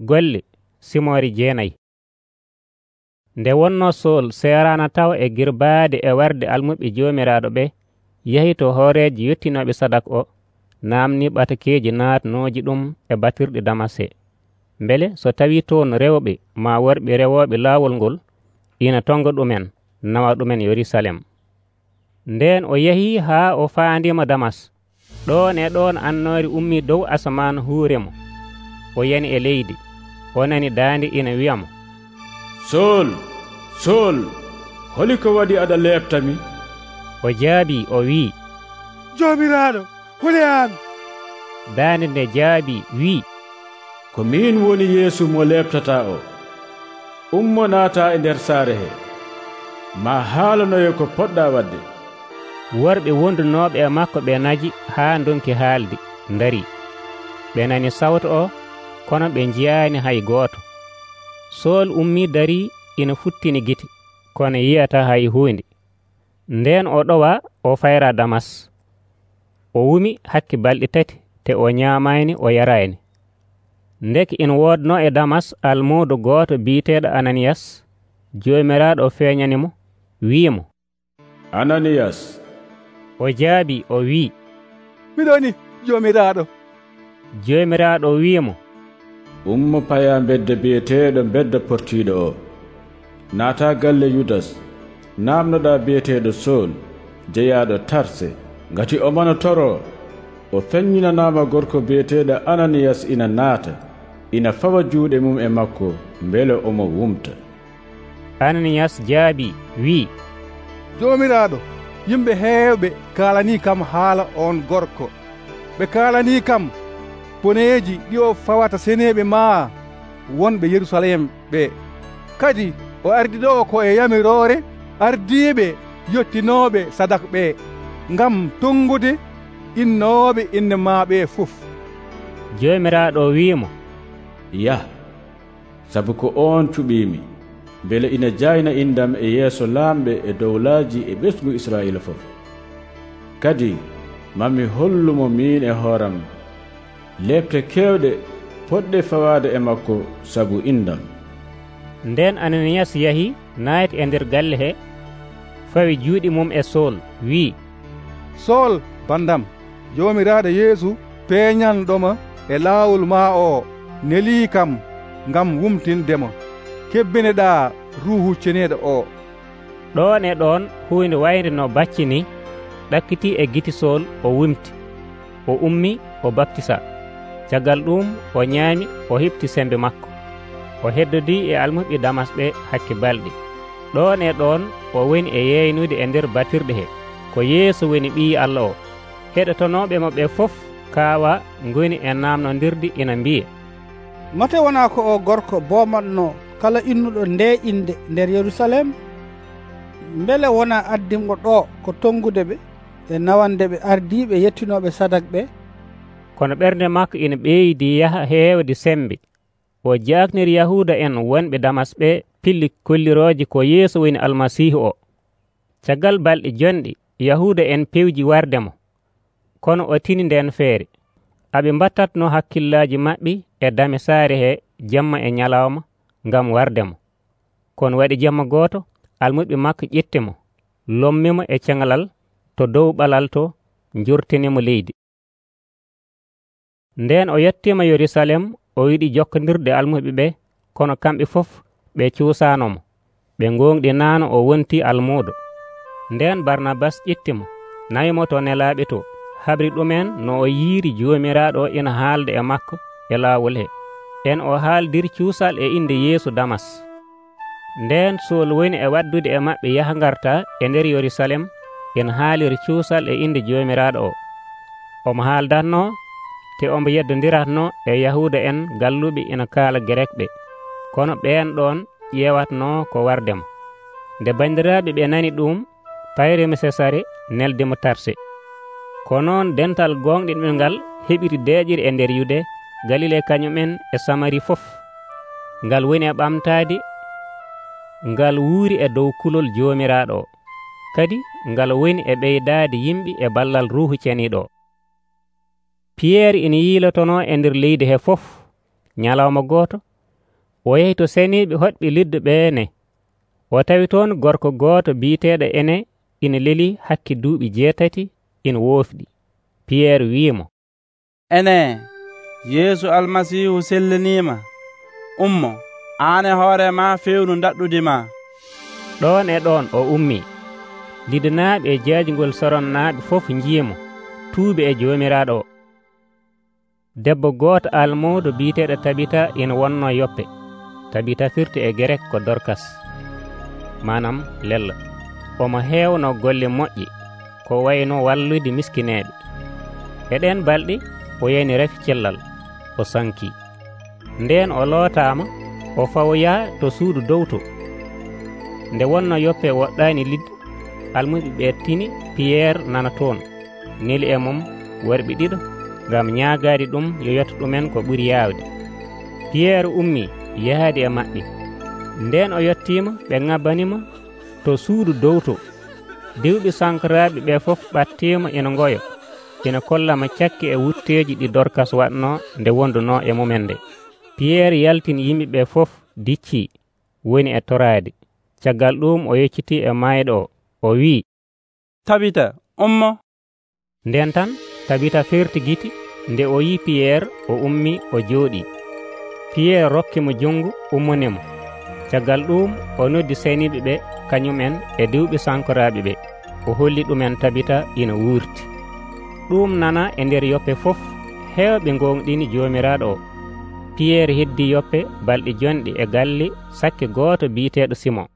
Golle Simori 9. Nde wonnoo Sool seeraana taw e girbaade e warde almuɓe joomiraaɗo ɓe, yahi to hooreeji yettinooɓe sadak o, naamnii ɓatakeeji naatnooji ɗum e batirɗe Damas he, mbele so tawii toon rewɓe maa worɓe rewooɓe laawol ngol, ina tonga ɗumen nawa ɗumen Yerusalem. Ndeen o yahii haa o faandiima Damas. Ɗoon e ɗoon annoore ummii dow asamaan huure mo. O yani e leydi. O nani daande ina wi'a mo, Sool, Sool, holi ko waɗi aɗa leeɓtami? O jaabii o wii, Joomiraaɗo, holi an? Daande nde jaabii wii, Ko min woni Yeesu mo leeɓtataa o. Ummo naata e nder saare he. Ma haalanoye ko poɗɗa wadde. Worɓe wondunooɓe e makko ɓe naji haa ndonki haalde, ndarii. Ɓe nani sawto o, kono ɓe njiyaani hay gooto. Sool ummii darii ina futtini gite, kono yi'ataa hay huunde. Ndeen o ɗowaa o fayra Damas. O wumi hakke balɗe 3 te o ñaamaani o yaraani. Ndeki ina woodnoo e Damas almuudo gooto biiteeɗo Ananiyas. Joomiraaɗo feeñani mo, wi'i mo, Ananiyas. O jaabii o wii, Miɗoni, Joomiraaɗo. Joomiraaɗo wi'i mo, Ummo paya bedde biyeteeɗo bedda portiiɗo o. Naata galle Yudas. Naamnoɗaa biyeteeɗo Sool, jeyaaɗo Tarse, ngati o mana toroo. O feññinanaama gorko biyeteeɗo Ananiyas ina naata, ina fawa juuɗe mum e makko, mbele omo wumta. Ananiyas jaabii wii, Joomiraaɗo, yimɓe heewɓe kaalanii kam haala on gorko. Ɓe kaalanii kam boneeji ɗi o fawata seneeɓe maa wonɓe Yerusalem ɓe. Kadi o ardi ɗo ko e yamiroore ardiiɓe yettinooɓe sadak ɓe, ngam tongude innooɓe inde maa ɓe fof. Joomiraaɗo wi'imo, Yah, sabu ko on cuɓiimi, mbele ina jayna indam e yeeso laamɓe e dowlaaji e ɓesgu Israa'iila fof. Kadi mami hollumo min e hooram leɓte keewɗe poɗɗe fawaade e makko sabu indam. Ndeen Ananiyas yahi naati e nder galle he, fawi juuɗe mum e Sool, wii, Sool bandam, Joomiraaɗo Yeesu peeñanɗoma e laawol maa o nelii kam ngam wumtindemo. Kebbineɗaa Ruuhu Ceneeɗo o. Ɗoon e ɗoon huunde wayde no bacci ni ɗakkitii e giti Sool, o wumti. O ummii o baptisa. Caggal ɗum o ñaami o heɓti sembe makko. O heddodii e almuɓe Damas ɓe hakke balɗe. Ɗoon e ɗoon o woni e yeynude e nder batirɗe he ko Yeesu woni Ɓii Allah o. Heɗotonooɓe mo ɓe fof kaawa ngoni e naamnondirde ina mbiya, Mate wonaa ko o gorko boomatnoo kala innuɗo nde inde nder Yerusalem? Mbele wonaa addingo ɗo ko tongude ɓe e nawande ɓe ardiiɓe yettinooɓe sadak ɓe? Kono ɓernde makko ina ɓeydi yaha heewde sembe. O jaakniri Yahuuda en wonɓe Damas ɓe pilli kollirooje ko Yeesu woni Almasiihu o. Caggal balɗe jonɗe Yahuuda en pewji warde mo, kono o tini nden feere. Aɓe mbattatno hakkillaaji maɓɓe e dame saare he jamma e ñalawma ngam warde mo. Kono waɗi jamma gooto, almuɓe makko ƴetti mo, lommimo e ceŋalal to dow ɓalal to, njurtinimo leydi. Ndeen o yettiima Yerusalem, o yiɗi jokkondirde almuɓe ɓe, kono kamɓe fof ɓe cuusaanomo. Ɓe ngoongɗi naano o wontii almuudo. Ndeen Barnabas ƴettimo, nawimo to nelaaɓe to, habri ɗumen no o yiiri Joomiraaɗo o ina haalda e makko e laawol he. En o haaldiri cuusal e inde Yeesu Damas. Ndeen Sool woni e waddude e maɓɓe yaha ngarta e nder Yerusalem, ina haaliri cuusal e inde Joomiraaɗo o. Omo haaldatnoo te omo yeddondiratnoo e Yahuuda en galluɓe ina kaala Gerek ɓe, kono ɓeen ɗoon ƴeewatnoo ko wardemo. Nde banndiraaɓe ɓe nani ɗum, payrimo Sesare neldemo Tarse. Ko noon dental gonɗinɓe ngal heɓiri deeƴiri e nder Yude, Galile kañumen e Samari fof. Ngal woni e ɓamtaade, ngal wuuri e dow kulol Joomiraaɗo o. Kadi ngal woni e ɓeydaade yimɓe e ballal Ruuhu Ceniiɗo o. Piyeeri ina yiilotonoo e nder leydi he fof. nyalawma gooto o yehi to seniiɓe hoɗɓe liddu ɓeene. O tawi toon gorko gooto biiteeɗo Ene ina leli hakke duuɓi 8 ina woofɗi. Piyeer wi'imo, Ene, Yeesu Almasiihu selliniima, ummo, aan e hoore ma fewnu daɗɗudima. Ɗon e ɗon o ummii. Lidanaaɓe e jaajugol soronnaaɓe fof njiyimo, tuubi e Joomiraaɗo o. Debbo gooto almoodo biiteeɗo Tabita ina wonnoo Yoppe. Tabita firti e Gerek ko Dorkas, manam lella. Omo heewno golle moƴƴi ko wayno wallude miskineeɓe. E ɗen balɗe o yani rafi cellal, o sankii. Ndeen o lootaama, o fawoyaa to suudu dow to. Nde wonno Yoppe woɗɗaani lidde, almuɓe ɓe tini Piyeer nana toon, neli e mum worɓe 2 ngam ñaagaade ɗum yo yetto ɗumen ko ɓuri yaawde. Piyeer ummii yahaade e maɓɓe. Ndeen o yettiima, ɓe ŋabbanimo to suudu dow to. Diwɓe sankoraaɓe ɓe fof ɓattiima ina ngoyo, ina kollamo cakki e wutteeji ɗi Dorkas waɗnoo nde wondunoo e mumen nde. Piyeer yaltini yimɓe ɓe fof diccii, woni e toraade. Caggal ɗum o yeccitii e maayɗo o wii, Tabita, ummo. Nden tan Tabita ferti giti. Nde o yii Piyeer, o ummii, o jooɗii. Piyeer rokkimo junngo, ummonimo. Caggal ɗum o noddi seniiɓe ɓe kañumen e diwɓe sankoraaɓe ɓe. O holli ɗumen Tabita ina wuurti. Ɗum nana e nder Yoppe fof, heewɓe gonɗini Joomiraaɗo o. Piyeer heddii Yoppe balɗe jonɗe e galle sakke gooto biiteeɗo Simon.